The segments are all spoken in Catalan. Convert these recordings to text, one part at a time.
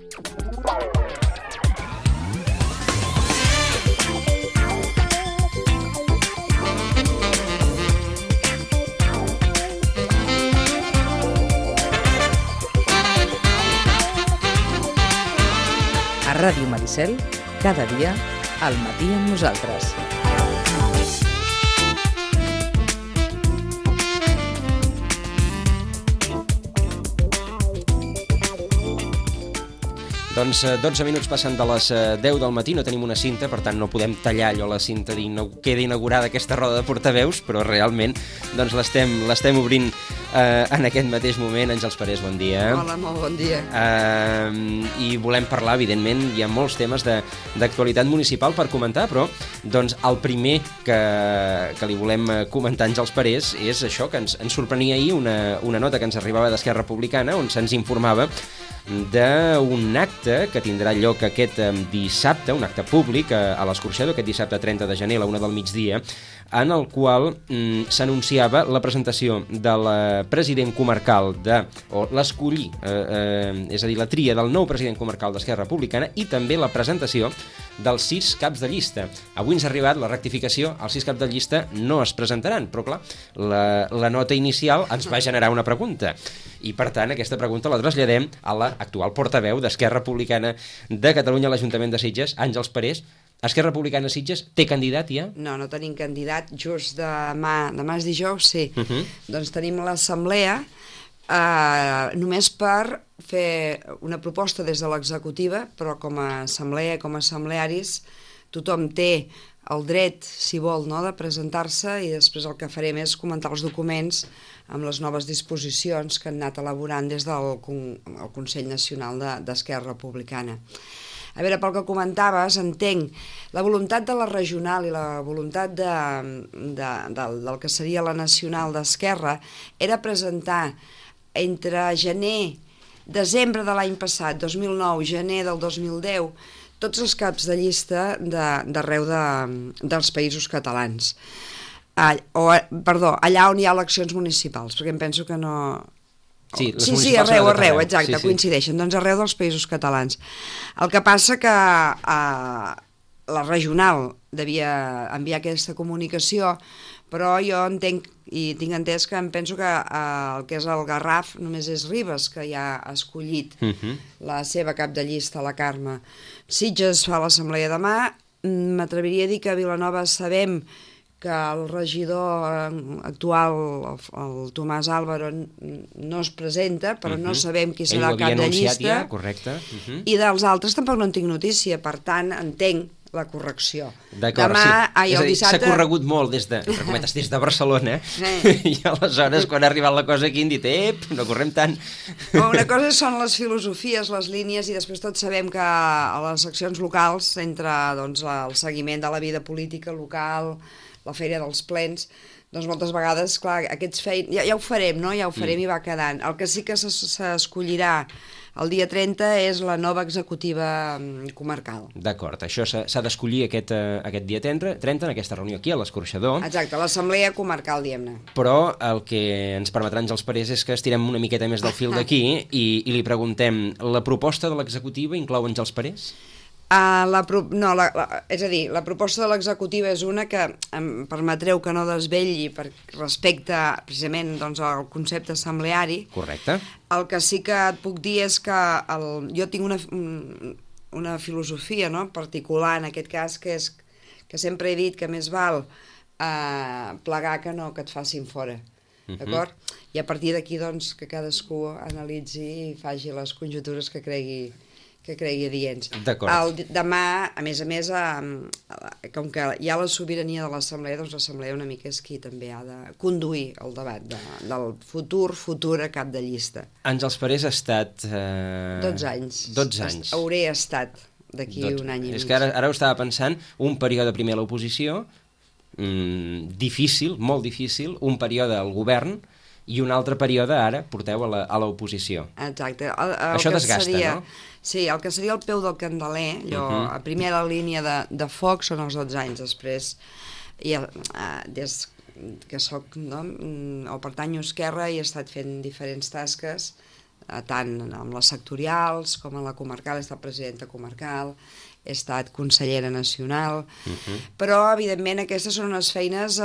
A Ràdio Maricel, cada dia, al matí amb nosaltres. Doncs 12 minuts passen de les 10 del matí, no tenim una cinta, per tant no podem tallar allò la cinta queda inaugurada aquesta roda de portaveus, però realment doncs l'estem obrint en aquest mateix moment. Àngels Parés, bon dia. Hola, molt bon dia. I volem parlar, evidentment, hi ha molts temes d'actualitat municipal per comentar, però doncs el primer que li volem comentar a Àngels Parés és això, que ens sorprenia ahir una nota que ens arribava d'Esquerra Republicana on se'ns informava d'un acte que tindrà lloc aquest dissabte, un acte públic a l'Escorxador, aquest dissabte 30 de gener a la 1 del migdia, en el qual s'anunciava la presentació de la president comarcal o l'escollir, és a dir, la tria del nou president comarcal d'Esquerra Republicana i també la presentació dels 6 caps de llista. Avui ens ha arribat la rectificació, els 6 caps de llista no es presentaran, però clar, la nota inicial ens va generar una pregunta. I per tant aquesta pregunta la traslladem a l'actual portaveu d'Esquerra Republicana de Catalunya a l'Ajuntament de Sitges, Àngels Parés. Esquerra Republicana Sitges té candidat ja? No tenim candidat, just demà és dijous, sí. Doncs tenim l'assemblea només per fer una proposta des de l'executiva, però com a assemblea, com a assemblearis, tothom té el dret, si vol, de presentar-se, i després el que farem és comentar els documents amb les noves disposicions que han anat elaborant des del Consell Nacional d'Esquerra Republicana. A veure, pel que comentaves, entenc la voluntat de la regional i la voluntat del que seria la nacional d'Esquerra era presentar entre desembre de l'any passat, 2009, gener del 2010, tots els caps de llista d'arreu dels països catalans. Allà on hi ha eleccions municipals, perquè em penso que no... Sí, arreu, exacte, coincideixen, doncs arreu dels països catalans. El que passa que la regional devia enviar aquesta comunicació, però jo entenc i tinc entès que em penso que el que és el Garraf només és Ribes, que ja ha escollit la seva cap de llista, la Carme. Sitges fa l'assemblea demà, m'atreviria a dir que a Vilanova sabem que el regidor actual, el Tomàs Álvaro, no es presenta, però no sabem qui serà el cap de llista. Ja, correcte. I dels altres tampoc no en tinc notícia, per tant, entenc la correcció. D'acord, sí. S'ha corregut molt des de Barcelona, i aleshores, quan ha arribat la cosa aquí, han dit, no correm tant. Una cosa són les filosofies, les línies, i després tots sabem que a les seccions locals, entre el seguiment de la vida política local, la feina dels plens, doncs moltes vegades, clar, aquests ja ho farem, no? Ja ho farem i va quedant. El que sí que s'escollirà el dia 30 és la nova executiva comarcal. D'acord, això s'ha d'escollir aquest dia 30, en aquesta reunió aquí a l'Escorxador. Exacte, l'assemblea comarcal, diguem-ne. Però el que ens permetrà Àngels Parés és que estirem una miqueta més del fil d'aquí i li preguntem, la proposta de l'executiva inclou Àngels Parés? És a dir, la proposta de l'executiva és una que em permetreu que no desvetlli respecte precisament al concepte assembleari. Correcte. El que sí que et puc dir és que jo tinc una filosofia particular en aquest cas, que és que sempre he dit que més val plegar que no que et facin fora. D'acord? I a partir d'aquí que cadascú analitzi i faci les conjectures que cregui adients. Demà, a més, com que hi ha la sobirania de l'assemblea, doncs l'assemblea una mica és qui també ha de conduir el debat del futur cap de llista. Àngels Parés ha estat... 12 anys. 12 anys. Hauré estat d'aquí un any i mig. És que ara ho estava pensant, un període primer a l'oposició, difícil, molt difícil, un període al govern, i un altre període ara porteu a l'oposició. Exacte. Això desgasta, no? Sí, el que seria el peu del candeler, a primera línia de foc són els 12 anys, després, des que soc, o pertanyo a Esquerra, i he estat fent diferents tasques tant amb les sectorials com a la comarcal, he estat presidenta comarcal, he estat consellera nacional, però evidentment aquestes són unes feines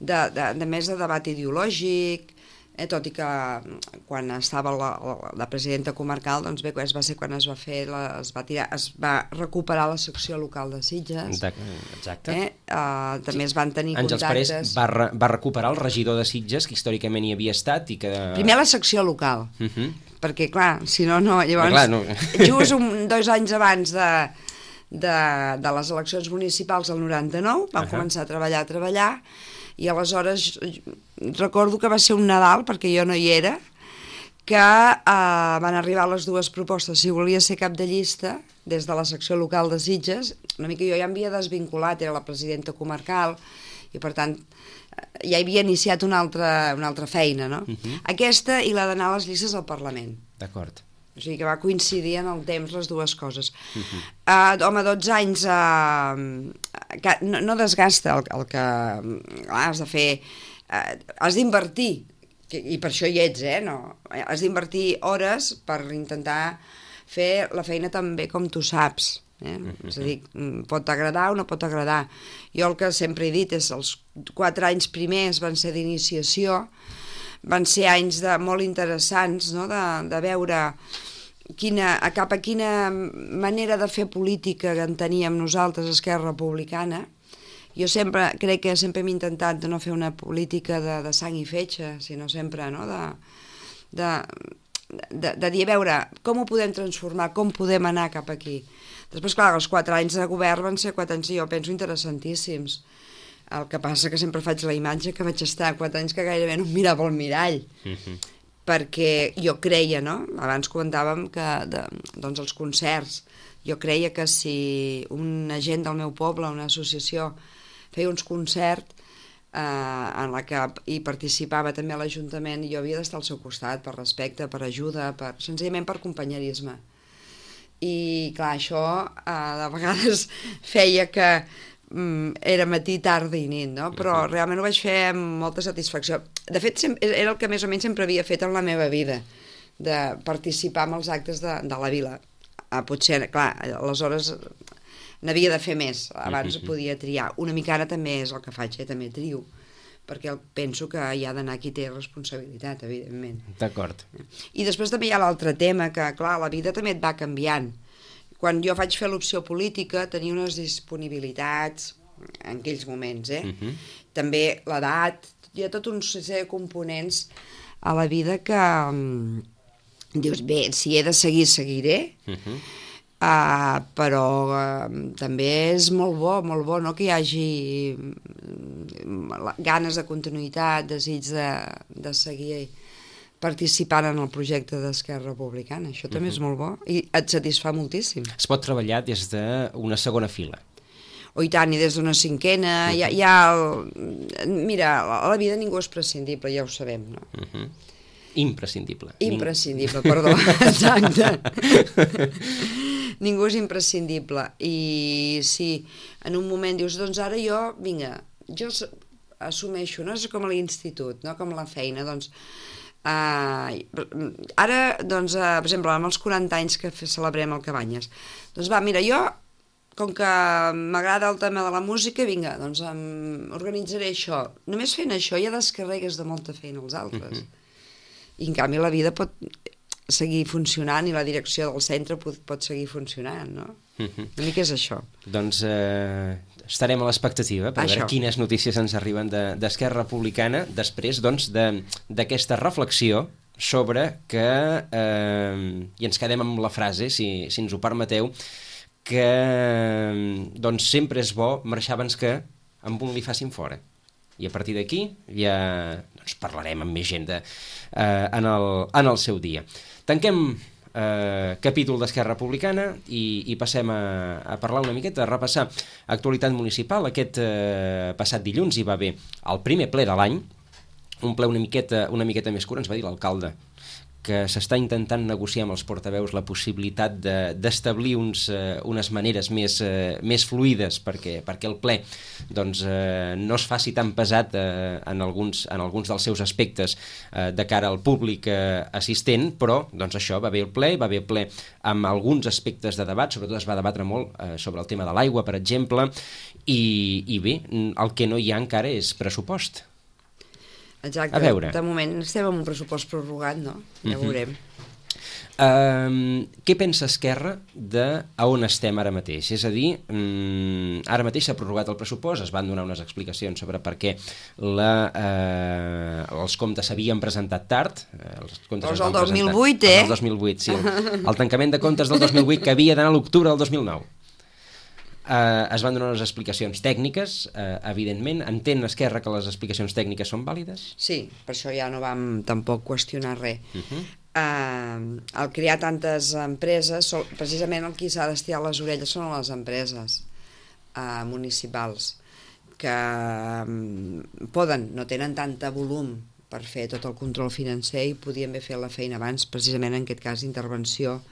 de més de debat ideològic, tot i que quan estava la presidenta comarcal, doncs bé, va ser quan es va recuperar la secció local de Sitges. Exacte. També es van tenir Àngels contactes. Parés va recuperar el regidor de Sitges, que històricament hi havia estat i que... Primer la secció local, perquè clar, si no, no. Llavors, just 2 anys abans de les eleccions municipals del 99, vam començar a treballar, i aleshores recordo que va ser un Nadal, perquè jo no hi era, que van arribar les 2 propostes. Si volia ser cap de llista, des de la secció local de Sitges, una mica jo ja m'havia desvinculat, era la presidenta comarcal, i per tant ja havia iniciat una altra feina, no? Aquesta i la d'anar a les llistes al Parlament. D'acord. O sigui que va coincidir en el temps les dues coses. Home, 12 anys no desgasta el que has de fer, has d'invertir, i per això hi ets, no? Has d'invertir hores per intentar fer la feina tan bé com tu saps. És a dir, pot agradar o no pot agradar. Jo el que sempre he dit és els 4 anys primers van ser d'iniciació, van ser anys molt interessants, no? De veure cap a quina manera de fer política que en teníem nosaltres, Esquerra Republicana. Jo crec que sempre hem intentat de no fer una política de sang i fetge, sinó sempre, no? De dir, a veure, com ho podem transformar, com podem anar cap aquí. Després, clar, els 4 anys de govern van ser 4 anys, jo penso, interessantíssims. El que passa que sempre faig la imatge que vaig estar 4 anys que gairebé no em mirava al mirall, perquè jo creia, no? Abans comentàvem que doncs els concerts, jo creia que si una gent del meu poble, una associació, feia uns concerts en la que hi participava també l'Ajuntament, jo havia d'estar al seu costat per respecte, per ajuda, senzillament per companyerisme. I clar, això de vegades feia que era matí, tarda i nit, no? Però realment ho vaig fer amb molta satisfacció. De fet, era el que més o menys sempre havia fet en la meva vida, de participar en els actes de la vila. Potser, clar, aleshores n'havia de fer més, abans podia triar. Una mica ara també és el que faig, també trio, perquè penso que hi ha d'anar qui té responsabilitat, evidentment. D'acord. I després també hi ha l'altre tema, que clar, la vida també et va canviant. Quan jo vaig fer l'opció política tenia unes disponibilitats en aquells moments, També l'edat, hi ha tot un sèrie de components a la vida que dius, bé, si he de seguir, seguiré, però també és molt bo, no?, que hi hagi ganes de continuïtat, desig de seguir participant en el projecte d'Esquerra Republicana. Això també és molt bo i et satisfà moltíssim. Es pot treballar des d'una segona fila. I tant, i des d'una cinquena. Mira, a la vida ningú és prescindible, ja ho sabem, no? Imprescindible. Imprescindible, perdó, exacte. Ningú és imprescindible. I si en un moment dius, doncs ara jo assumeixo, no? És com a l'institut, no? Com la feina, doncs ara, doncs, per exemple, amb els 40 anys que celebrem el Cabanyes, doncs va, mira, jo, com que m'agrada el tema de la música, vinga, doncs organitzaré això. Només fent això ja descarregues de molta feina als altres. I en canvi la vida pot seguir funcionant i la direcció del centre pot seguir funcionant, no? Una mica és això. Doncs estarem a l'expectativa per veure quines notícies ens arriben d'Esquerra Republicana després, doncs, d'aquesta reflexió sobre que, i ens quedem amb la frase, si ens ho permeteu, que doncs sempre és bo marxar abans que amb un li facin fora. I a partir d'aquí ja parlarem amb més gent en el seu dia. Tanquem capítol d'Esquerra Republicana i passem a parlar una miqueta, a repassar actualitat municipal. Aquest passat dilluns hi va haver el primer ple de l'any, un ple una miqueta més curt, ens va dir l'alcalde que s'està intentant negociar amb els portaveus la possibilitat d'establir unes maneres més fluides perquè el ple doncs, no es faci tan pesat en alguns dels seus aspectes de cara al públic assistent, però doncs, això va bé el ple amb alguns aspectes de debat, sobretot es va debatre molt sobre el tema de l'aigua, per exemple, i bé, el que no hi ha encara és pressupost. Exacte, a veure. De moment estem amb un pressupost prorrogat, no? Ja ho veurem. Què pensa Esquerra a on estem ara mateix? És a dir, ara mateix s'ha prorrogat el pressupost, es van donar unes explicacions sobre per què els comptes s'havien presentat tard. Els comptes el 2008, el 2008, sí. El tancament de comptes del 2008 que havia d'anar a l'octubre del 2009. Es van donar unes explicacions tècniques, evidentment. Entén Esquerra que les explicacions tècniques són vàlides? Sí, per això ja no vam tampoc qüestionar res. Al crear tantes empreses, precisament el qui s'ha d'estirar les orelles són les empreses municipals, que no tenen tanta volum per fer tot el control financer i podien haver fet la feina abans, precisament en aquest cas d'intervenció,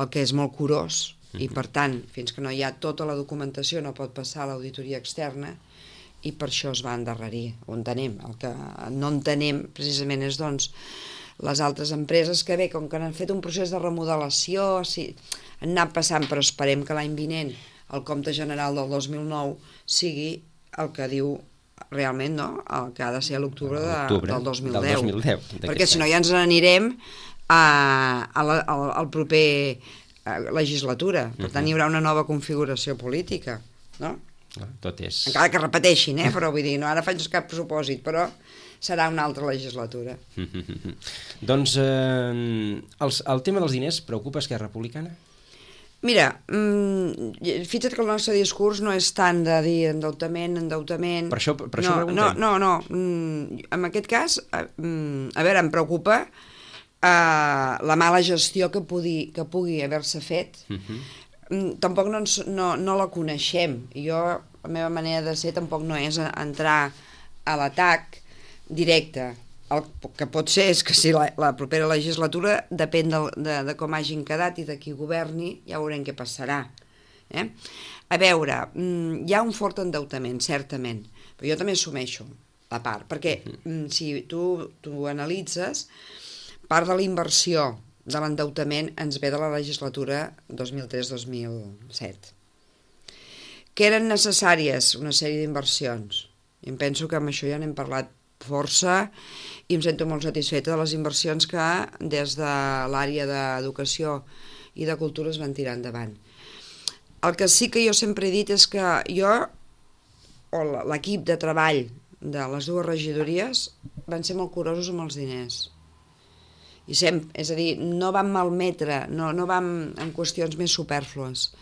el que és molt curós, i per tant, fins que no hi ha tota la documentació no pot passar a l'auditoria externa i per això es va endarrerir. Ho entenem. El que no entenem precisament és doncs les altres empreses que bé, com que han fet un procés de remodelació, han anat passant, però esperem que l'any vinent el compte general del 2009 sigui el que diu realment, no? El que ha de ser a l'octubre del 2010. Perquè si no ja ens n'anirem al proper legislatura. Per tant, hi haurà una nova configuració política, no? Tot és... Encara que repeteixin, però vull dir, no ara faig cap propòsit, però serà una altra legislatura. Doncs el tema dels diners preocupa Esquerra Republicana? Mira, fixa't que el nostre discurs no és tant de dir endeutament... Per això preguntem. No. En aquest cas, a veure, em preocupa la mala gestió que pugui haver-se fet. Tampoc no la coneixem. Jo, la meva manera de ser tampoc no és entrar a l'atac directe. El que pot ser és que si la propera legislatura depèn de com hagin quedat i de qui governi, ja veurem què passarà. A veure, hi ha un fort endeutament, certament, però jo també assumeixo la part, perquè si tu analitzes, part de la inversió de l'endeutament ens ve de la legislatura 2003-2007. Que eren necessàries una sèrie d'inversions. I em penso que amb això ja n'hem parlat força i em sento molt satisfeta de les inversions que des de l'àrea d'educació i de cultura es van tirar endavant. El que sí que jo sempre he dit és que jo, o l'equip de treball de les dues regidories, van ser molt curosos amb els diners. És a dir, no vam malmetre, no vam en qüestions més supèrflues.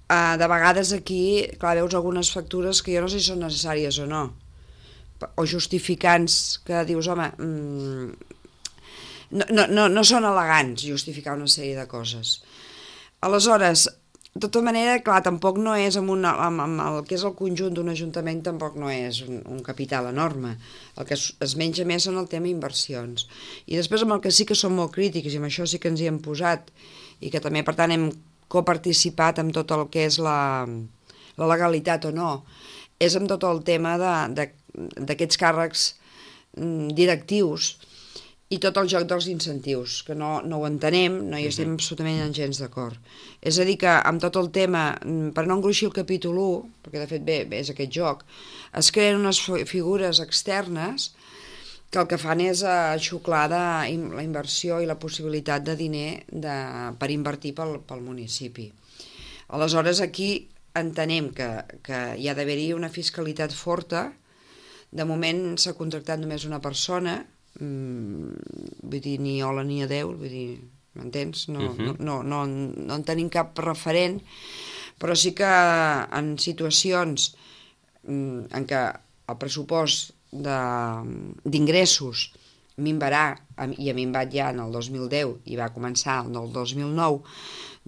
De vegades aquí, clar, veus algunes factures que jo no sé si són necessàries o no, o justificants que dius, home, no són elegants justificar una sèrie de coses. Aleshores, de tota manera, clar, tampoc no és amb el que és el conjunt d'un ajuntament, tampoc no és un capital enorme. El que es menja més són el tema inversions. I després amb el que sí que som molt crítics, i amb això sí que ens hi hem posat, i que també, per tant, hem coparticipat amb tot el que és la legalitat o no, és amb tot el tema d'aquests càrrecs directius i tot el joc dels incentius, que no ho entenem, no hi estem absolutament gens d'acord. És a dir que amb tot el tema, per no engruixir el capítol 1, perquè de fet bé és aquest joc, es creen unes figures externes que el que fan és xuclar la inversió i la possibilitat de diner per invertir pel municipi. Aleshores aquí entenem que hi ha d'haver-hi una fiscalitat forta. De moment s'ha contractat només una persona, vull dir, ni hola ni adeu, vull dir, m'entens? No en tenim cap referent, però sí que en situacions en què el pressupost d'ingressos minvarà, i ha minvat ja en el 2010 i va començar en el 2009,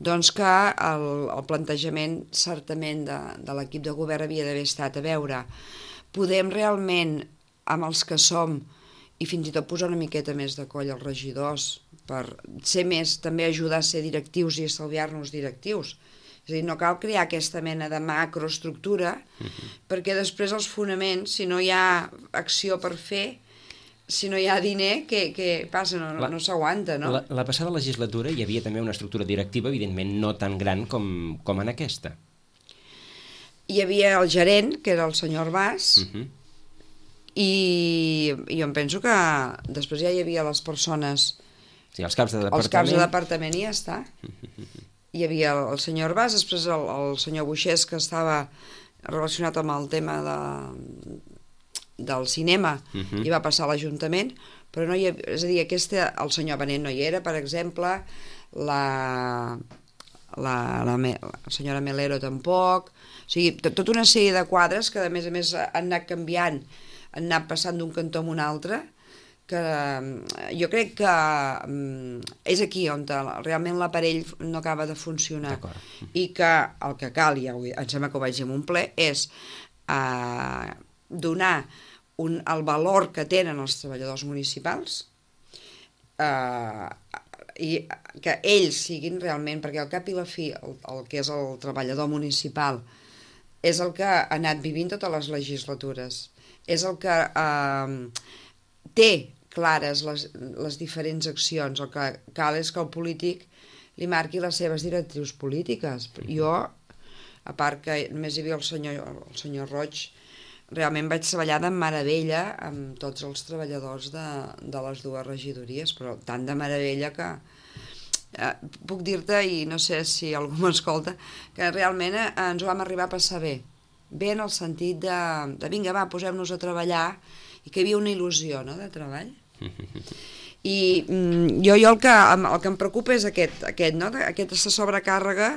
doncs que el plantejament certament de l'equip de govern havia d'haver estat a veure, podem realment, amb els que som i fins i tot posar una miqueta més de coll als regidors per ser més, també ajudar a ser directius i estalviar-nos directius. És a dir, no cal crear aquesta mena de macroestructura perquè després els fonaments, si no hi ha acció per fer, si no hi ha diner, què passa? No s'aguanta, no? La passada legislatura hi havia també una estructura directiva, evidentment no tan gran com en aquesta. Hi havia el gerent, que era el senyor Arbàs, i jo em penso que després ja hi havia les persones... Sí, els caps de departament. Els caps de departament i ja està. Hi havia el senyor Arbàs, després el senyor Buixés, que estava relacionat amb el tema del cinema, i va passar a l'Ajuntament, però no hi havia... És a dir, el senyor Benet no hi era, per exemple, la senyora Melero tampoc... O sigui, tota una sèrie de quadres que, a més, han anat canviant, han anat passant d'un cantó a un altre, que jo crec que és aquí on realment l'aparell no acaba de funcionar. I que el que cal, ja em sembla que ho vaig dir en un ple, és donar el valor que tenen els treballadors municipals i que ells siguin realment, perquè al cap i la fi el que és el treballador municipal és el que ha anat vivint totes les legislatures, és el que té clares les diferents accions. El que cal és que el polític li marqui les seves directrius polítiques. Jo, a part que només hi havia el senyor Roig, realment vaig treballar de meravella amb tots els treballadors de les dues regidories, però tant de meravella que puc dir-te, i no sé si algú m'escolta, que realment ens ho vam arribar a passar bé en el sentit de vinga, va, posem-nos a treballar, i que hi havia una il·lusió, no?, de treball. I jo el que em preocupa és aquest, no?, aquesta sobrecàrrega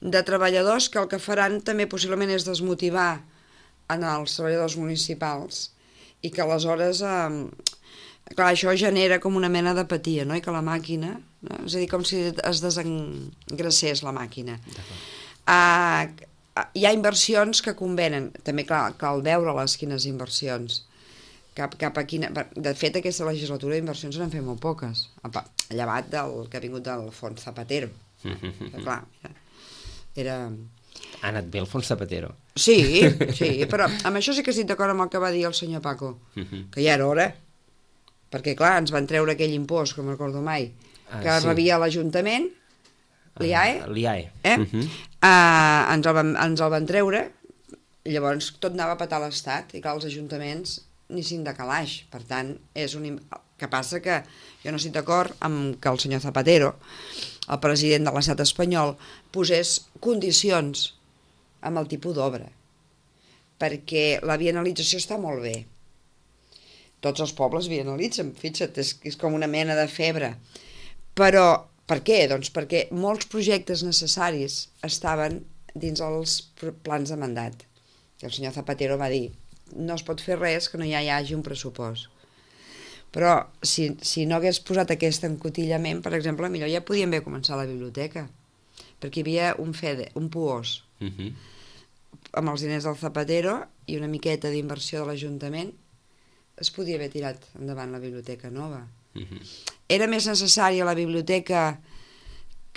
de treballadors que el que faran també possiblement és desmotivar en els treballadors municipals, i que aleshores clar, això genera com una mena d'apatia, no?, i que la màquina, no?, és a dir, com si es desengracés la màquina. Hi ha inversions que convenen, també clar, cal veure-les quines inversions, cap a quina... De fet, aquesta legislatura d'inversions se n'han fet molt poques, llevat del que ha vingut del Fons Zapatero. Clar, era... Ha anat bé el Fons Zapatero. Sí, però amb això sí que estic d'acord amb el que va dir el senyor Paco, que ja era hora, perquè clar, ens van treure aquell impost, que no me'n recordo mai, que rebia l'Ajuntament, l'IAE, ens el van treure, llavors tot anava a petar l'Estat, i clar, els ajuntaments ni cinc de calaix. Per tant, és un... que passa que jo no estic d'acord amb que el senyor Zapatero, el president de l'estat espanyol, posés condicions amb el tipus d'obra, perquè la bienalització està molt bé. Tots els pobles bienalitzen, fixa't, és com una mena de febre. Però per què? Doncs perquè molts projectes necessaris estaven dins els plans de mandat. I el senyor Zapatero va dir, no es pot fer res que no hi hagi un pressupost. Però si no hagués posat aquest encotillament, per exemple, millor ja podíem haver començat la biblioteca, perquè hi havia un puós amb els diners del Zapatero i una miqueta d'inversió de l'Ajuntament, es podia haver tirat endavant la biblioteca nova. Era més necessària la biblioteca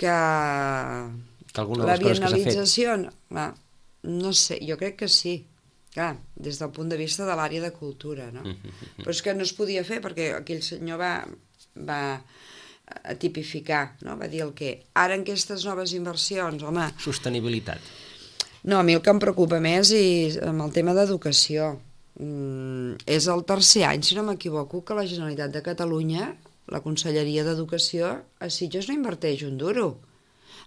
que la bienalització? No sé, jo crec que sí. Clar, des del punt de vista de l'àrea de cultura, no? Però és que no es podia fer perquè aquell senyor va tipificar, no? Va dir el què. Ara en aquestes noves inversions, home... Sostenibilitat. No, a mi el que em preocupa més és amb el tema d'educació. És el tercer any, si no m'equivoco, que la Generalitat de Catalunya, la Conselleria d'Educació, a Sitges no inverteix un duro.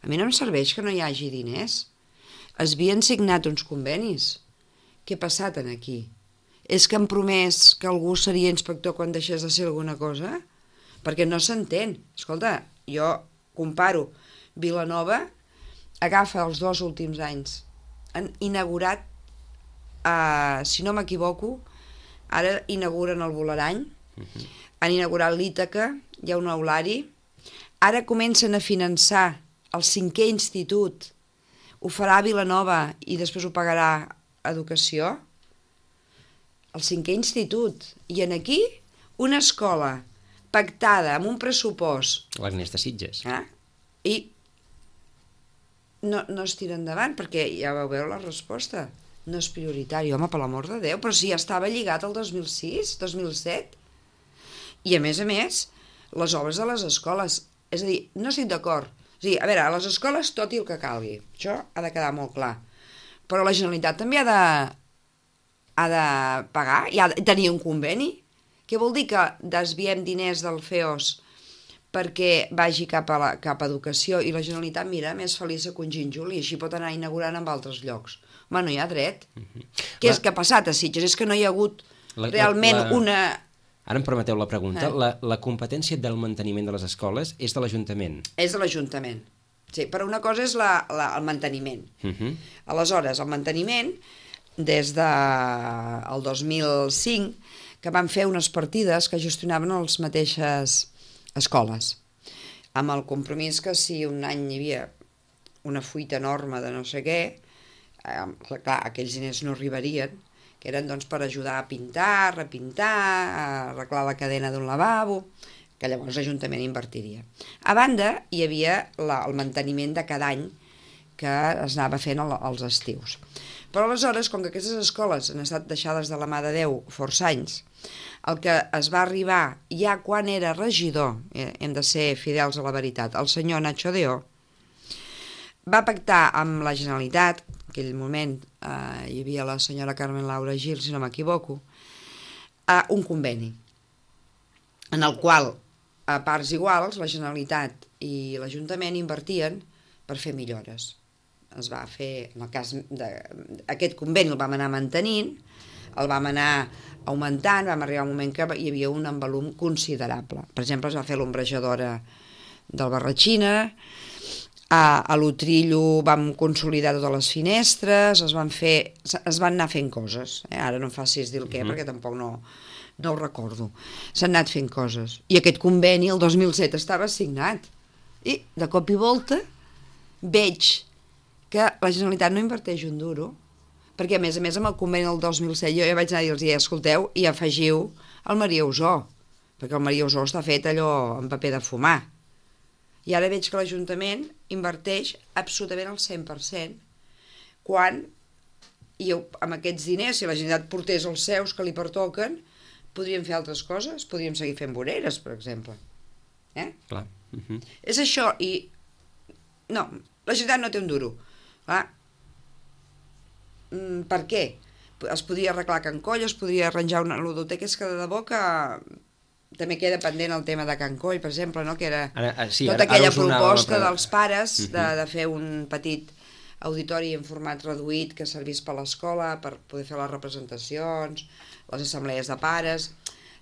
A mi no em serveix que no hi hagi diners. Es havien signat uns convenis. Què ha passat aquí? És que han promès que algú seria inspector quan deixés de ser alguna cosa? Perquè no s'entén. Escolta, jo comparo Vilanova, agafa els 2 últims anys. Han inaugurat, si no m'equivoco, ara inauguren el Bolerany, han inaugurat l'Ítaca, hi ha un aulari, ara comencen a finançar el 5è institut, ho farà Vilanova i després ho pagarà Educació, el 5è institut, i en aquí una escola pactada amb un pressupost... L'Agnès de Sitges. I no es tira endavant, perquè ja vau veure la resposta. No és prioritari, home, per l'amor de Déu, però si ja estava lligat al 2006, 2007. I a més, les obres de les escoles, és a dir, no estic d'acord. És a dir, a veure, a les escoles tot i el que calgui, això ha de quedar molt clar. Però la Generalitat també ha de pagar i ha de tenir un conveni. Què vol dir que desviem diners del FEOS perquè vagi cap a educació i la Generalitat, mira, més feliç que un gínjol i així pot anar inaugurant en altres llocs? Home, no hi ha dret. Què és que ha passat a Sitges? És que no hi ha hagut realment una... Ara em permeteu la pregunta. La competència del manteniment de les escoles és de l'Ajuntament? És de l'Ajuntament. Sí, però una cosa és el manteniment. Aleshores, el manteniment, des del 2005, que van fer unes partides que gestionaven les mateixes escoles, amb el compromís que si un any hi havia una fuita enorme de no sé què, clar, aquells diners no arribarien, que eren doncs per ajudar a pintar, repintar, a arreglar la cadena d'un lavabo, que llavors l'Ajuntament invertiria. A banda, hi havia el manteniment de cada any que es anava fent als estius. Però aleshores, com que aquestes escoles han estat deixades de la mà de Déu força anys, el que es va arribar ja quan era regidor, hem de ser fidels a la veritat, el senyor Nacho Deó, va pactar amb la Generalitat, en aquell moment hi havia la senyora Carmen Laura Gil, si no m'equivoco, un conveni, en el qual, a parts iguals, la Generalitat i l'Ajuntament invertien per fer millores. Es va fer, en el cas d'aquest conveni el vam anar mantenint, el vam anar augmentant, vam arribar a un moment que hi havia un envolum considerable. Per exemple, es va fer l'ombrejadora del Barratxina, a l'Utrillo vam consolidar totes les finestres, es van anar fent coses. Ara no em facis dir el què, perquè tampoc no ho recordo. S'han anat fent coses. I aquest conveni, el 2007, estava signat. I, de cop i volta, veig que la Generalitat no inverteix un duro, perquè, a més, amb el conveni del 2007, jo ja vaig anar a dir-los, escolteu, i afegiu el Maria Usó, perquè el Maria Usó està fet allò en paper de fumar. I ara veig que l'Ajuntament inverteix absolutament el 100%, quan amb aquests diners, si la Generalitat portés els seus que li pertoquen, podríem fer altres coses, podríem seguir fent voreres, per exemple. Clar. És això, i no, la Generalitat no té un duro. Clar. Per què? Es podria arreglar Can Coll, es podria arranjar una ludoteca, és que de debò que també queda pendent el tema de Can Coll, per exemple, no? Que era tota aquella proposta dels pares de fer un petit auditori en format reduït que servís per l'escola, per poder fer les representacions, les assemblees de pares.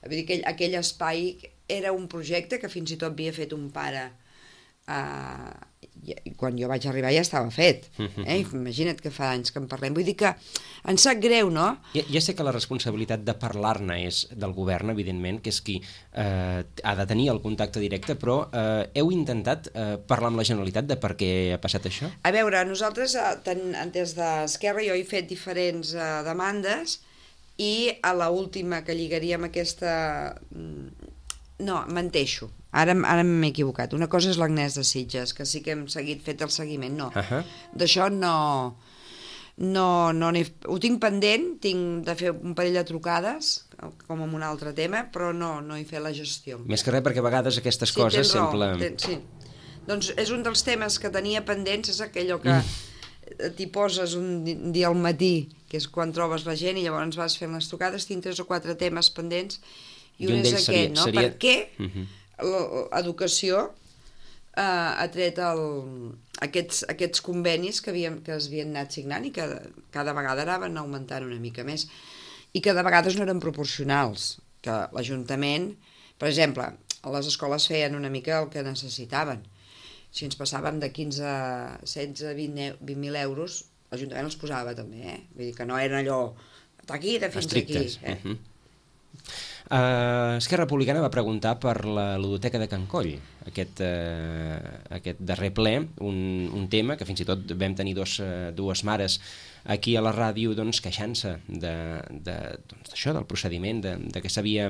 Vull dir que aquell espai era un projecte que fins i tot havia fet un pare, i quan jo vaig arribar ja estava fet. Imagina't que fa anys que en parlem. Vull dir que ens sap greu, no? Ja sé que la responsabilitat de parlar-ne és del govern, evidentment, que és qui ha de tenir el contacte directe, però heu intentat parlar amb la Generalitat de per què ha passat això? A veure, nosaltres, des d'Esquerra, jo he fet diferents demandes i a l'última que lligaríem aquesta... No, menteixo. Ara m'he equivocat. Una cosa és l'Agnès de Sitges, que sí que hem fet el seguiment. No, d'això no ho tinc pendent, tinc de fer un parell de trucades, com en un altre tema, però no he fet la gestió. Més que res perquè a vegades aquestes coses sempre... Sí, doncs és un dels temes que tenia pendents, és aquell que t'hi poses un dia al matí, que és quan trobes la gent, i llavors vas fent les trucades, tinc 3 o 4 temes pendents, i un és aquest, no? Per què l'educació ha tret aquests convenis que es havien anat signant i que cada vegada anaven augmentant una mica més i que de vegades no eren proporcionals, que l'Ajuntament, per exemple, les escoles feien una mica el que necessitaven. Si ens passàvem de 15, 16, 20.000 euros, l'Ajuntament els posava també, vull dir que no eren allò d'aquí, de fins estrictes. Aquí. Esquerra Republicana va preguntar per la ludoteca de Can Coll, aquest darrer ple, un tema que fins i tot vam tenir dues mares aquí a la ràdio queixant-se d'això, del procediment, de que s'havia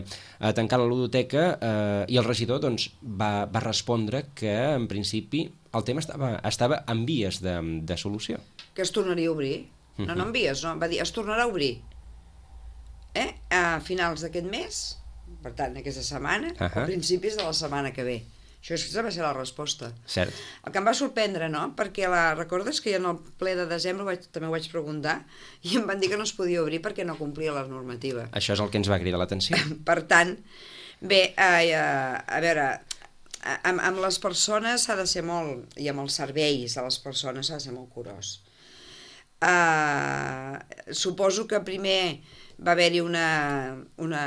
tancat la ludoteca, i el regidor va respondre que en principi el tema estava en vies de solució. Que es tornaria a obrir. No en vies, no, va dir es tornarà a obrir. A finals d'aquest mes, per tant, aquesta setmana, a principis de la setmana que ve. Això va ser la resposta. Cert. El que em va sorprendre, no? Perquè recordes que en el ple de desembre també ho vaig preguntar i em van dir que no es podia obrir perquè no complia la normativa. Això és el que ens va cridar l'atenció. Per tant, bé, a veure, amb les persones s'ha de ser molt, i amb els serveis de les persones s'ha de ser molt curós. Suposo que primer va haver-hi una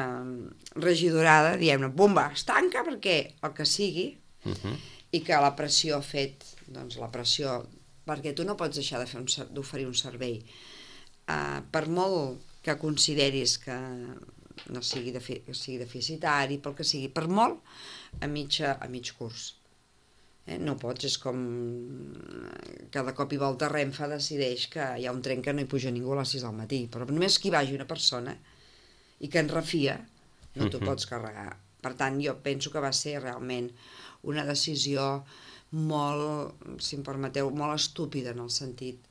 regidorada, diem-ne, bomba, es tanca perquè el que sigui, i que la pressió ha fet, la pressió, perquè tu no pots deixar d'oferir un servei. Per molt que consideris que no sigui deficitari, pel que sigui, per molt, a mig curs. No pots, és com que de cop i volta Renfe decideix que hi ha un tren que no hi puja ningú a les 6 del matí, però només que hi vagi una persona i que en refia, no t'ho pots carregar. Per tant, jo penso que va ser realment una decisió molt, si em permeteu, molt estúpida en el sentit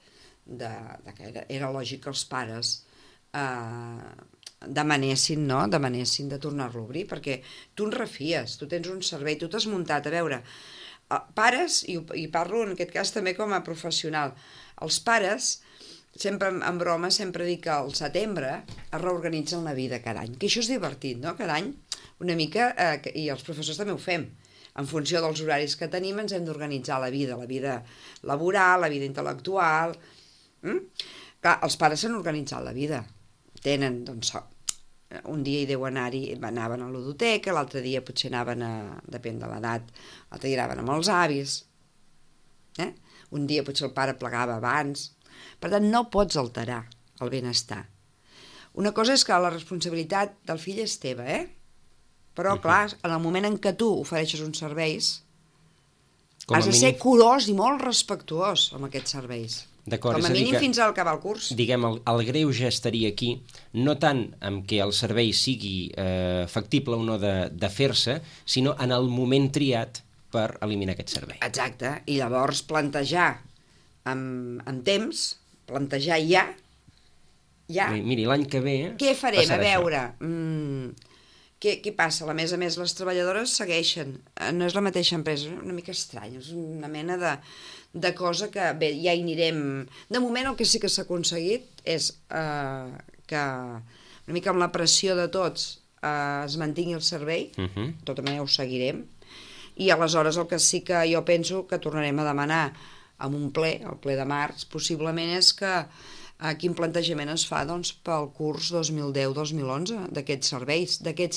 que era lògic que els pares demanessin de tornar-lo a obrir, perquè tu en refies, tu tens un servei, tu t'has muntat, a veure, pares, i parlo en aquest cas també com a professional, els pares, sempre en broma, sempre dic que al setembre es reorganitzen la vida cada any, que això és divertit, no? Cada any una mica, i els professors també ho fem, en funció dels horaris que tenim ens hem d'organitzar la vida laboral, la vida intel·lectual. Clar, els pares s'han organitzat la vida, tenen, un dia hi deu anar-hi, anaven a la ludoteca, l'altre dia potser anaven depèn de l'edat, l'altre dia anaven amb els avis, un dia potser el pare plegava abans, per tant no pots alterar el benestar. Una cosa és que la responsabilitat del fill és teva, però clar, en el moment en què tu ofereixes uns serveis, has de ser curós i molt respectuós amb aquests serveis. D'acord, com a mínim fins al acabar el curs. Diguem, el greuge estaria aquí, no tant en què el servei sigui factible o no de fer-se, sinó en el moment triat per eliminar aquest servei. Exacte, i llavors plantejar amb temps, plantejar ja. Miri, l'any que ve què farem? A veure, què passa? A més, les treballadores segueixen, no és la mateixa empresa, és una mica estrany, és una mena de cosa que, bé, ja hi anirem. De moment el que sí que s'ha aconseguit és que una mica amb la pressió de tots es mantingui el servei, de tota manera ho seguirem, i aleshores el que sí que jo penso que tornarem a demanar amb un ple, el ple de març, possiblement és que quin plantejament es fa pel curs 2010-2011 d'aquests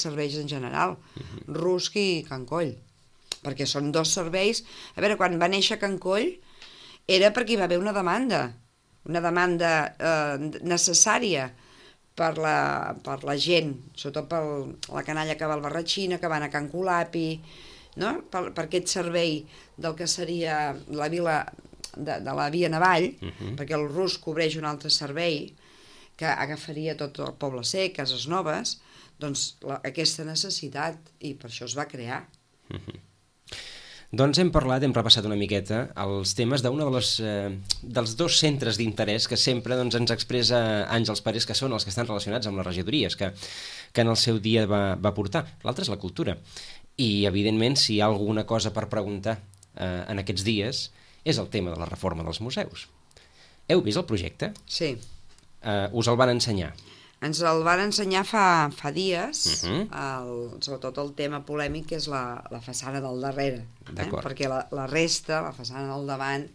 serveis en general, Rusc i Can Coll, perquè són dos serveis. A veure, quan va néixer Can Coll era perquè hi va haver una demanda necessària per la gent, sobretot per la canalla que va al Barratxina, que va a Can Colapi, no? Per aquest servei del que seria la vila de la Via Navall, perquè el Rusc cobreix un altre servei que agafaria tot el Poble Sec, Cases Noves, doncs aquesta necessitat, i per això es va crear. Doncs hem repassat una miqueta els temes d'un dels dos centres d'interès que sempre ens expressa Àngels Parés, que són els que estan relacionats amb les regidories que en el seu dia va portar. L'altre és la cultura. I, evidentment, si hi ha alguna cosa per preguntar en aquests dies, és el tema de la reforma dels museus. Heu vist el projecte? Sí. Us el van ensenyar? Ens el van ensenyar fa dies, sobretot el tema polèmic, que és la façana del darrere. Perquè la resta, la façana del davant,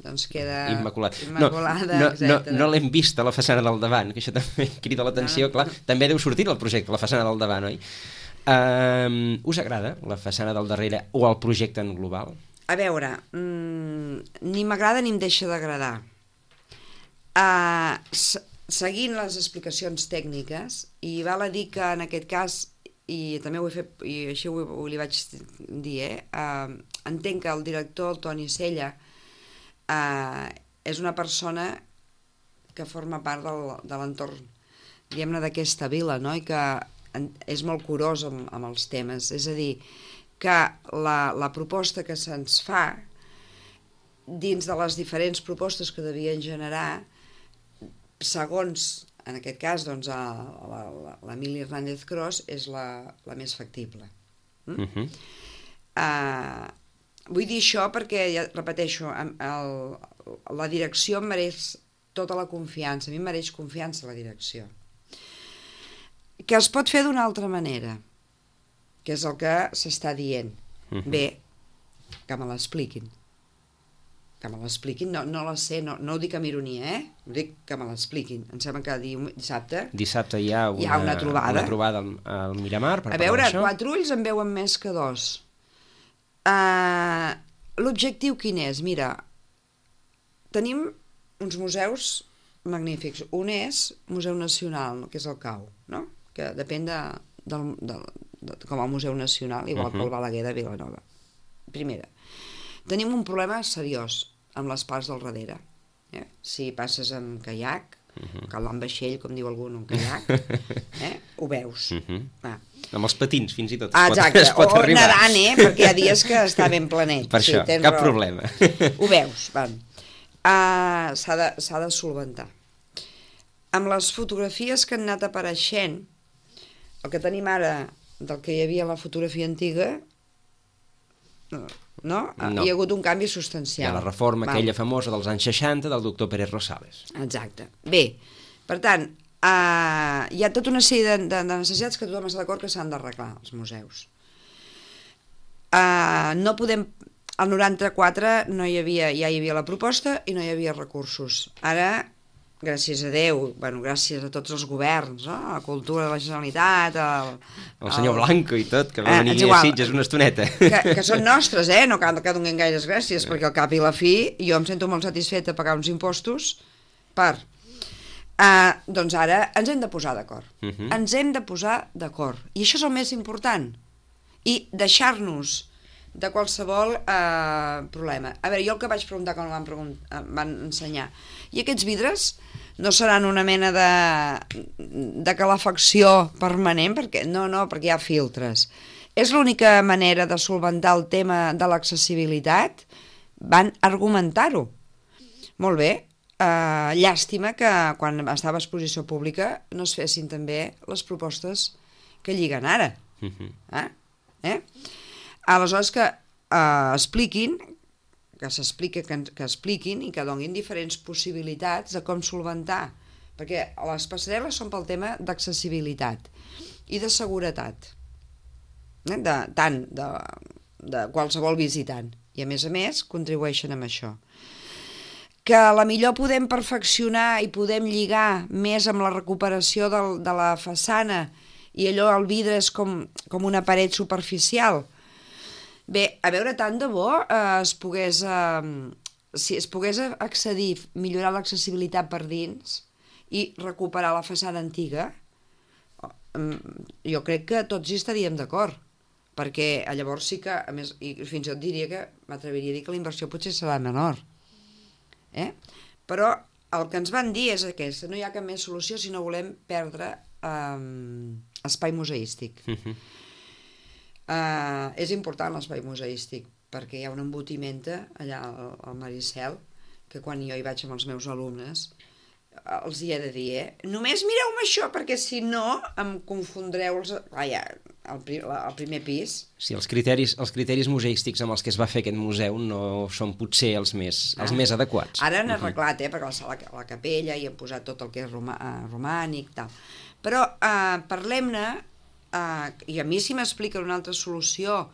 doncs queda immaculada. No l'hem vista, la façana del davant, que això també crida l'atenció, clar. També deu sortir el projecte, la façana del davant, oi? Us agrada la façana del darrere o el projecte en global? A veure, ni m'agrada ni em deixa d'agradar. Seguint les explicacions tècniques, i val a dir que en aquest cas i també ho he fet, i així li vaig dir, entenc que el director, el Toni Sella, és una persona que forma part de l'entorn, diguem-ne, d'aquesta vila, no? I que és molt curós amb els temes. És a dir, que la proposta que se'ns fa, dins de les diferents propostes que devien generar, segons, en aquest cas, doncs, l'Emili Hernández Cros és la més factible. Vull dir això perquè, ja repeteixo, la direcció em mereix tota la confiança, a mi em mereix confiança la direcció. Que es pot fer d'una altra manera, que és el que s'està dient. Bé, que me l'expliquin. Que me l'expliquin, no la sé, no ho dic amb ironia, ho dic que me l'expliquin. Em sembla que dissabte hi ha una trobada al Miramar per parlar d'això. A veure, 4 ulls en veuen més que 2. L'objectiu quin és? Mira, tenim uns museus magnífics. Un és Museu Nacional, que és el CAU, no? Que depèn com a Museu Nacional, igual que el Balaguer de Vilanova. Primera. Tenim un problema seriós amb les parts del darrere. Si passes amb caiac, calant vaixell, com diu algú, un caiac, ho veus. Amb els patins, fins i tot, es pot arribar. O nedant, perquè hi ha dies que està ben planet. Per això, cap problema. Ho veus, s'ha de solventar. Amb les fotografies que han anat apareixent, el que tenim ara del que hi havia a la fotografia antiga, no? Hi ha hagut un canvi substancial. Hi ha la reforma aquella famosa dels anys 60 del doctor Pérez Rosales. Exacte. Bé, per tant, hi ha tota una sèrie de necessitats que tothom està d'acord que s'han d'arreglar, els museus. No podem... Al 94 ja hi havia la proposta i no hi havia recursos. Ara, gràcies a Déu, gràcies a tots els governs, a Cultura de la Generalitat, el senyor Blanco i tot, que va venir a Sitges una estoneta. Que són nostres, no cal que donem gaires gràcies, perquè al cap i la fi jo em sento molt satisfeta de pagar uns impostos per... Doncs ara ens hem de posar d'acord. Ens hem de posar d'acord. I això és el més important. I deixar-nos de qualsevol problema. A veure, jo el que vaig preguntar quan em van ensenyar, i aquests vidres no seran una mena de calefacció permanent? Perquè hi ha filtres. És l'única manera de solventar el tema de l'accessibilitat? Van argumentar-ho. Molt bé, llàstima que quan estava a exposició pública no es fessin també les propostes que lliguen ara. Aleshores que expliquin, que expliquin i que donin diferents possibilitats de com solventar, perquè les passarel·les són pel tema d'accessibilitat i de seguretat, tant de qualsevol visitant, i a més contribueixen amb això. Que a la millor podem perfeccionar i podem lligar més amb la recuperació de la façana i allò el vidre és com una paret superficial. Bé, a veure, tant de bo si es pogués accedir, millorar l'accessibilitat per dins i recuperar la façana antiga, jo crec que tots hi estaríem d'acord, perquè llavors sí que, a més, i fins i tot diria que m'atreviria a dir que la inversió potser serà menor. Però el que ens van dir és aquesta, no hi ha cap més solució si no volem perdre espai museístic. És important l'espai museístic perquè hi ha un embotiment allà al Maricel que quan jo hi vaig amb els meus alumnes els hi he de dir, només mireu-me això perquè si no em confondreu el primer pis. Sí, els criteris museístics amb els que es va fer aquest museu no són potser els més adequats. Ara han arreglat, perquè la capella hi han posat tot el que és romànic, tal. Però parlem-ne, i a mi si m'expliquen una altra solució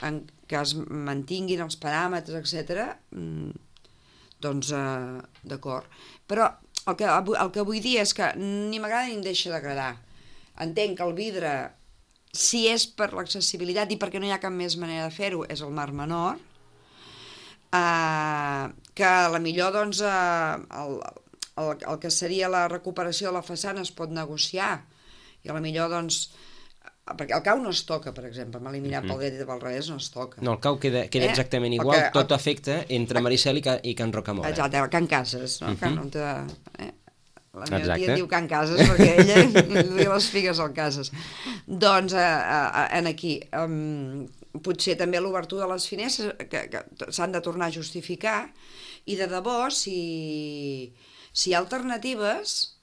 en que es mantinguin els paràmetres, etc., doncs d'acord. Però el que vull dir és que ni m'agrada ni em deixa d'agradar. Entenc que el vidre, si és per l'accessibilitat i perquè no hi ha cap més manera de fer-ho, és el mar menor, que a la millor doncs, el que seria la recuperació de la façana es pot negociar i a la millor doncs, perquè el cau no es toca, per exemple, eliminar pel dret i pel revés no es toca. No, el cau queda exactament igual, perquè, tot afecta entre Maricel i Can Rocamora. Exacte, Can Cases, no? La meva tia diu Can Cases perquè ella li duia les figues al Cases. Doncs aquí, potser també l'obertura de les finestres que s'han de tornar a justificar, i de debò, si hi ha alternatives,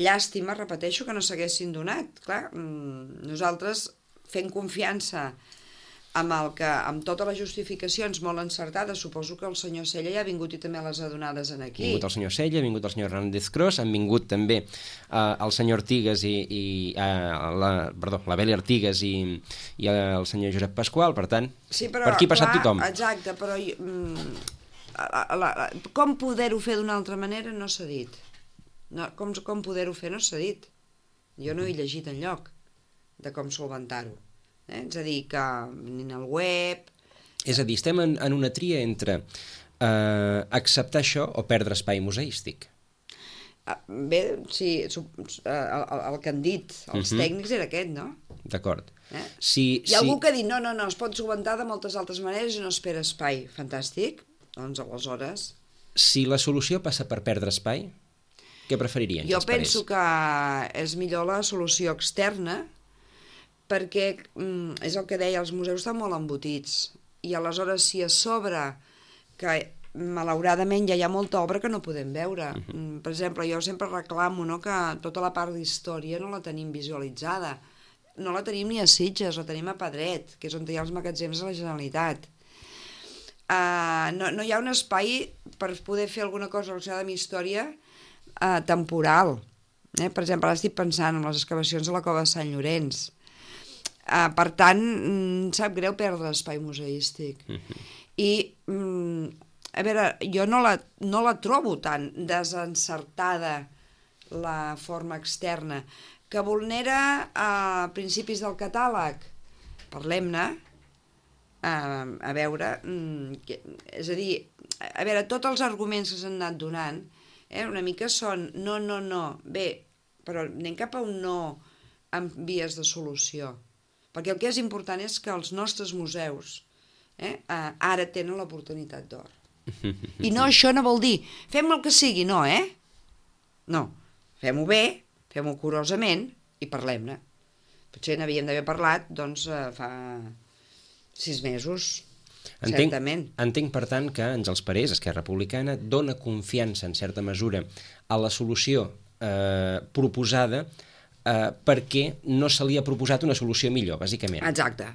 llàstima, repeteixo, que no s'haguessin donat. Clar, nosaltres fent confiança amb totes les justificacions molt encertades, suposo que el senyor Sella ja ha vingut i també les ha donades aquí. Ha vingut el senyor Sella, ha vingut el senyor Hernández Cros, han vingut també el senyor Artigas l'Abeli Artigas i el senyor Josep Pasqual, per tant, sí, però, per aquí ha passat tothom. Exacte, però com poder-ho fer d'una altra manera no s'ha dit. Com poder-ho fer no s'ha dit. Jo no he llegit enlloc de com solventar-ho. És a dir, que ni al web... És a dir, estem en una tria entre acceptar això o perdre espai museístic. Bé, sí, el que han dit els tècnics era aquest, no? D'acord. Hi ha algú que ha dit, no, es pot solventar de moltes altres maneres i no espera espai. Fantàstic, doncs aleshores... Si la solució passa per perdre espai, què preferirien? Jo penso que és millor la solució externa, perquè és el que deia, els museus estan molt embotits, i aleshores si a sobre, que malauradament ja hi ha molta obra que no podem veure. Per exemple, jo sempre reclamo que tota la part d'història no la tenim visualitzada, no la tenim ni a Sitges, la tenim a Pedret, que és on hi ha els magatzems de la Generalitat. No hi ha un espai per poder fer alguna cosa relacionada amb història temporal. Per exemple, ara estic pensant en les excavacions de la cova de Sant Llorenç. Per tant, sap greu perdre l'espai museístic. I, a veure, jo no la trobo tan desencertada la forma externa, que vulnera principis del catàleg. Parlem-ne, a veure, és a dir, a veure, tots els arguments que s'han anat donant, una mica són no, bé, però anem cap a un no amb vies de solució, perquè el que és important és que els nostres museus ara tenen l'oportunitat d'or. I no, això no vol dir fem el que sigui, no, no, fem-ho bé, fem-ho curosament i parlem-ne. Potser n'havíem d'haver parlat, doncs, fa 6 mesos. Entenc, per tant, que Àngels Parés, Esquerra Republicana, dona confiança, en certa mesura, a la solució proposada perquè no se li ha proposat una solució millor, bàsicament. Exacte.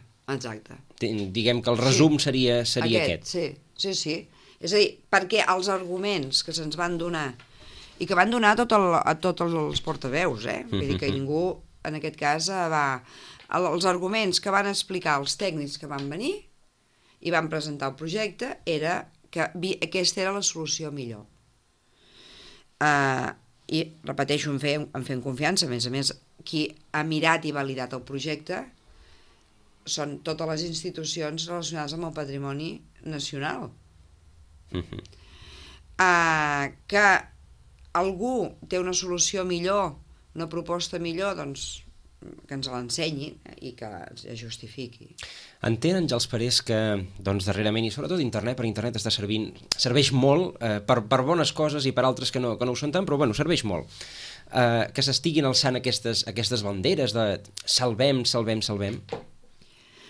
Diguem que el resum seria aquest. Sí. És a dir, perquè els arguments que se'ns van donar, i que van donar a tots els portaveus, vull dir que ningú, en aquest cas, els arguments que van explicar els tècnics que van venir i van presentar el projecte era que aquesta era la solució millor. I, repeteixo, em fem confiança, a més, qui ha mirat i validat el projecte són totes les institucions relacionades amb el patrimoni nacional. Que algú té una solució millor, una proposta millor, doncs que ens l'ensenyi i que es justifiqui. Entén, Àngels Parés, que darrerament, i sobretot internet, per internet serveix molt per bones coses i per altres que no ho són tant, però bueno, serveix molt. Que s'estiguin alçant aquestes banderes de salvem.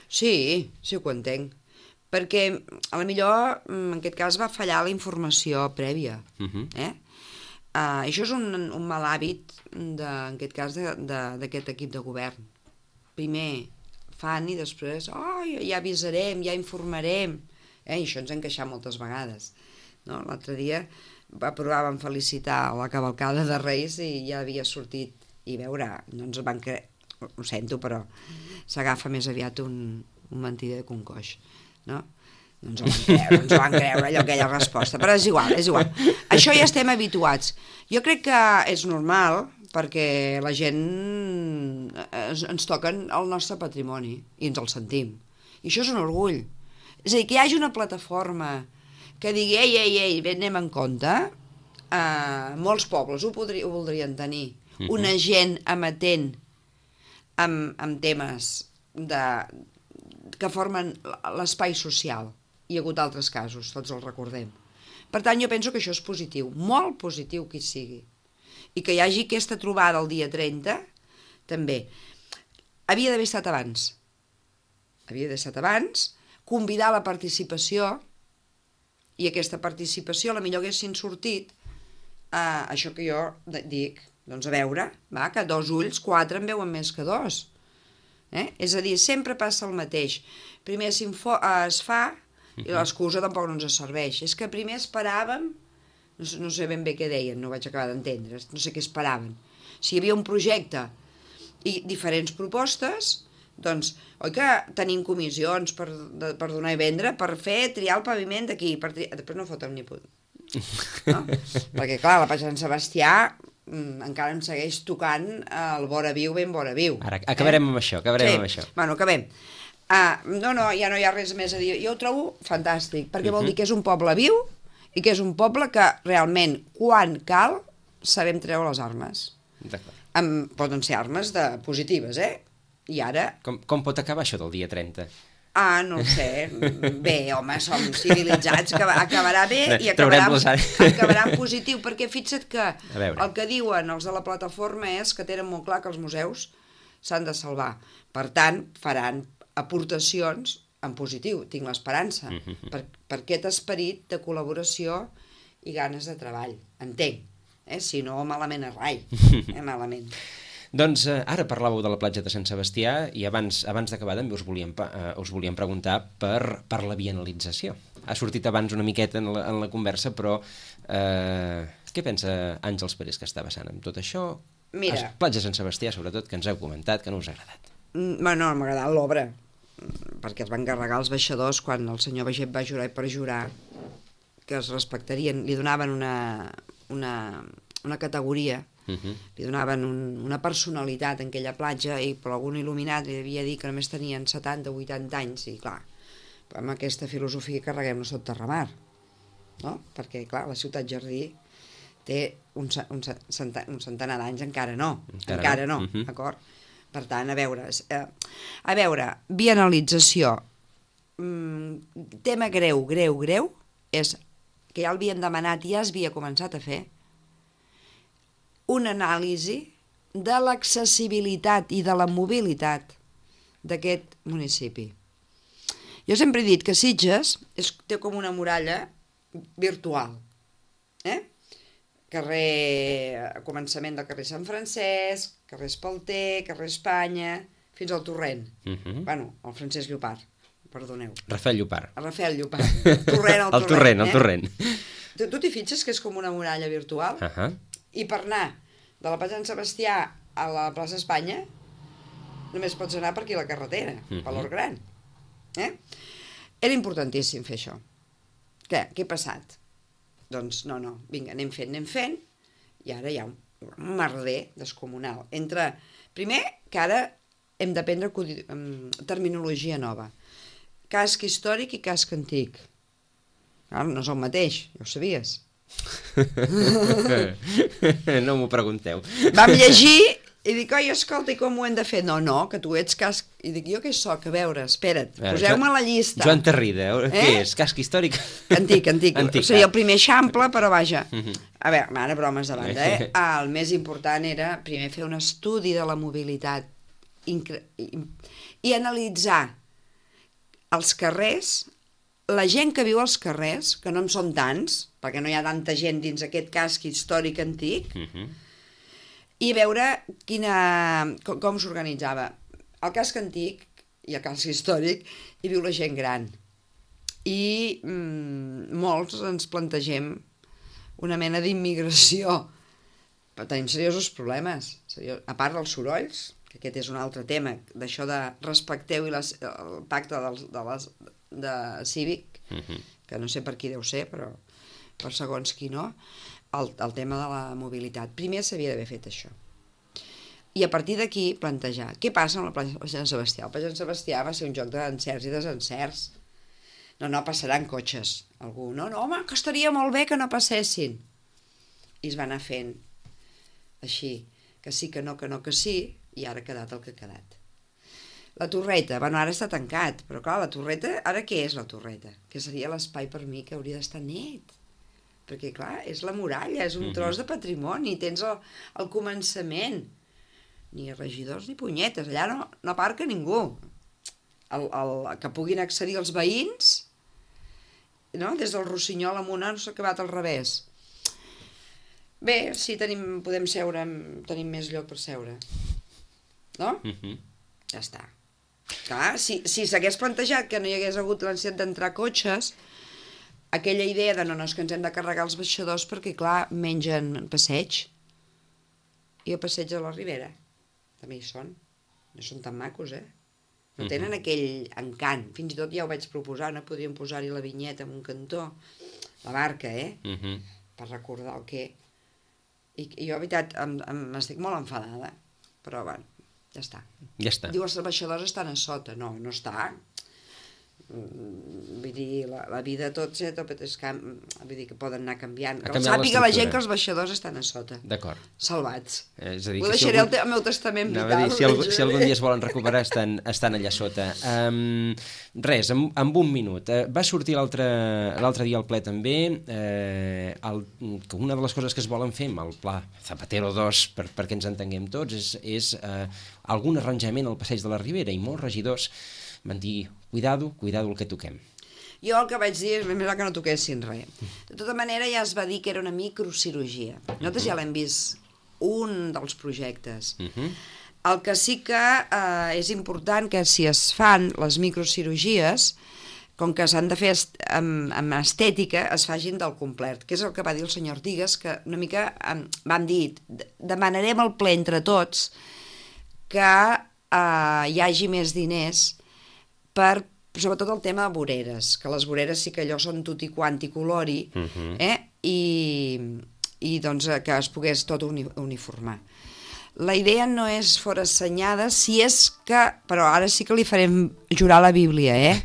Sí, ho entenc. Perquè, a la millor, en aquest cas, va fallar la informació prèvia. Això és un mal hàbit, en aquest cas, d'aquest equip de govern. Primer fan i després, ja avisarem, ja informarem. I això ens ha encaixat moltes vegades. L'altre dia vam felicitar la cavalcada de Reis i ja havia sortit, i veure, no ens van creure, ho sento, però s'agafa més aviat un mentider que un coix, no? No ens ho van creure, aquella resposta, però és igual. Això ja estem habituats. Jo crec que és normal, perquè la gent ens toquen el nostre patrimoni i ens el sentim. I això és un orgull. És a dir, que hi hagi una plataforma que digui, ei, anem en compte, molts pobles ho voldrien tenir. Una gent amatent amb temes que formen l'espai social. Hi ha hagut altres casos, tots els recordem. Per tant, jo penso que això és positiu, molt positiu que hi sigui. I que hi hagi aquesta trobada el dia 30, també. Havia d'haver estat abans. Convidar la participació, i aquesta participació la millor haguessin sortit això que jo dic, doncs a veure, que 2 ulls, 4 en veuen més que 2. És a dir, sempre passa el mateix. Primer es fa i l'excusa tampoc no ens serveix. És que primer esperàvem, no sé ben bé què deien, no vaig acabar d'entendre, no sé què esperaven. Si hi havia un projecte i diferents propostes, doncs, oi que tenim comissions per donar i vendre, per triar el paviment d'aquí, després no fotem ni punt. No? Perquè, clar, la Platja Sant Sebastià encara em segueix tocant el vora viu, ben vora viu. Ara, acabarem amb això, amb això. Bueno, acabem. Ja no hi ha res més a dir. Jo ho trobo fantàstic, perquè vol dir que és un poble viu i que és un poble que realment, quan cal, sabem treure les armes. Poden ser armes positives, I ara... Com pot acabar això del dia 30? No ho sé. Bé, home, som civilitzats, acabarà bé i acabarà en positiu, perquè fixa't que el que diuen els de la plataforma és que tenen molt clar que els museus s'han de salvar. Per tant, faran aportacions en positiu, tinc l'esperança, per aquest esperit de col·laboració i ganes de treball. Entenc. Si no, malament és rai. Malament. Doncs ara parlàveu de la platja de Sant Sebastià i abans d'acabar també us volíem preguntar per la bienalització. Ha sortit abans una miqueta en la conversa, però què pensa Àngels Parés que està passant amb tot això? Mira, Platja de Sant Sebastià, sobretot, que ens heu comentat, que no us ha agradat. No m'ha agradat l'obra, perquè es van encarregar els baixadors quan el senyor Baiget va jurar i perjurar que es respectarien, li donaven una categoria, li donaven una personalitat en aquella platja i per algun il·luminat li havia dit que només tenien 70 o 80 anys i clar, amb aquesta filosofia carreguem-nos tot Terramar, no? Perquè clar, la ciutat jardí té un centenar d'anys, encara no, d'acord? Per tant, a veure, bienalització, tema greu, és que ja l'havíem demanat i ja es havia començat a fer, una anàlisi de l'accessibilitat i de la mobilitat d'aquest municipi. Jo sempre he dit que Sitges té com una muralla virtual. Començament del carrer Sant Francesc, carrer Espalter, carrer Espanya, fins al Torrent. Bueno, el Francesc Llopart, perdoneu. Rafael Llopart. Torrent al Torrent. El Torrent. Tu t'hi fixes que és com una muralla virtual? I per anar de la Platja Sant Sebastià a la plaça Espanya només pots anar per aquí a la carretera, per l'Hort Gran. Era importantíssim fer això. Què ha passat? Doncs no, vinga, anem fent, i ara hi ha un merder descomunal. Primer, que ara hem d'aprendre terminologia nova. Casc històric i casc antic. No és el mateix, ja ho sabies. No m'ho pregunteu. Vam llegir i dic, oi, escolta, i com ho hem de fer? No, que tu ets casc... I dic, jo què soc? A veure, espera't, poseu-me a la llista. Joan Tarrida, què és? Casc històric? Antic. Seria el primer eixample, però vaja. A veure, ara bromes de banda, El més important era primer fer un estudi de la mobilitat i analitzar els carrers, la gent que viu als carrers, que no en són tants, perquè no hi ha tanta gent dins aquest casc històric antic, i veure com s'organitzava. Al casc antic i al casc històric hi viu la gent gran. I molts ens plantegem una mena d'immigració. Però tenim seriosos problemes. A part dels sorolls, que aquest és un altre tema, d'això de respecteu el pacte de cívic, que no sé per qui deu ser, però per segons qui no, el tema de la mobilitat. Primer s'havia d'haver fet això. I a partir d'aquí plantejar què passa amb la platja de Sant Sebastià. La platja de Sant Sebastià va ser un joc d'encerts i desencerts. No passaran cotxes. Algú, no, home, que estaria molt bé que no passessin. I es va anar fent així, que sí, que no, que sí, i ara ha quedat el que ha quedat. La torreta, bueno, ara està tancat, però clar, la torreta, ara què és la torreta? Que seria l'espai per mi que hauria d'estar net. Perquè clar, és la muralla, és un tros de patrimoni, tens el començament. Ni regidors ni punyetes, allà no aparca ningú. Que puguin accedir els veïns, no? Des del Rossinyol amunt no s'ha acabat al revés. Bé, sí, podem seure, tenim més lloc per seure. No? Ja està. Clar, si s'hagués plantejat que no hi hagués hagut l'ansietat d'entrar cotxes, aquella idea de no, és que ens hem de carregar els baixadors perquè, clar, mengen passeig. I el passeig de la Ribera. També hi són. No són tan macos, No tenen aquell encant. Fins i tot ja ho vaig proposar, no? Podríem posar-hi la vinyeta en un cantó. La barca, per recordar el què. I jo, de veritat, m'estic molt enfadada. Però, bueno, ja està. Diu, els baixadors estan a sota. No està. Vull dir, la vida tots vull dir que poden anar canviant. Que sàpiga la gent que els baixadors estan a sota. D'acord. Salvats. És a dir, ho deixaré al meu testament vital. Si algun dia es volen recuperar estan allà sota. Res, en un minut. Va sortir l'altre dia al ple també que una de les coses que es volen fer amb el pla Zapatero 2, perquè ens entenguem tots, és algun arranjament al passeig de la Ribera, i molts regidors van dir, cuidado el que toquem. Jo el que vaig dir és més que no toquessin res. De tota manera ja es va dir que era una microcirurgia. Nosaltres ja l'hem vist un dels projectes. El que sí que és important que si es fan les microcirurgies, com que s'han de fer amb estètica, es fagin del complet, que és el que va dir el senyor Artigas, que una mica vam dir, demanarem el ple entre tots que hi hagi més diners per, sobretot el tema de voreres, que les voreres sí que allò són tutti quanti colori, i doncs que es pogués tot uniformar. La idea no és forassenyada, si és que, però ara sí que li farem jurar la Bíblia,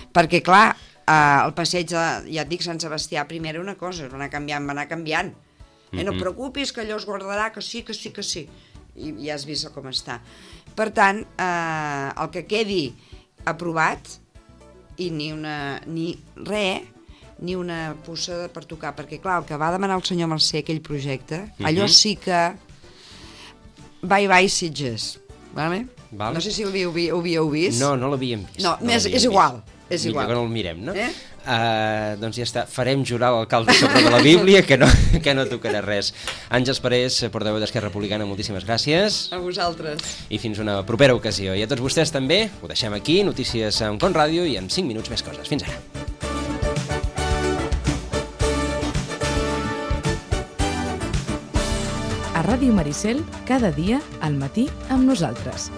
perquè clar, el passeig de, ja et dic, Sant Sebastià primer era una cosa, va anar canviant. No et preocupis que allò es guardarà, que sí, i ja has vist com està. Per tant, el que quedi aprovat, i ni una puça per tocar, perquè clar, el que va demanar el senyor Mercè, aquell projecte, allò sí que bye Sitges, vale? No sé si ho havíeu vist. No l'havíem vist. No, és igual. Millor que no el mirem, no? Doncs ja està, farem jurar l'alcalde sobre de la Bíblia que no tocarà res. Àngels Parés, portaveu d'Esquerra Republicana, moltíssimes gràcies. A vosaltres. I fins una propera ocasió. I a tots vostès també, ho deixem aquí, notícies amb Con Ràdio, i en 5 minuts més coses. Fins ara. A Ràdio Maricel, cada dia al matí amb nosaltres.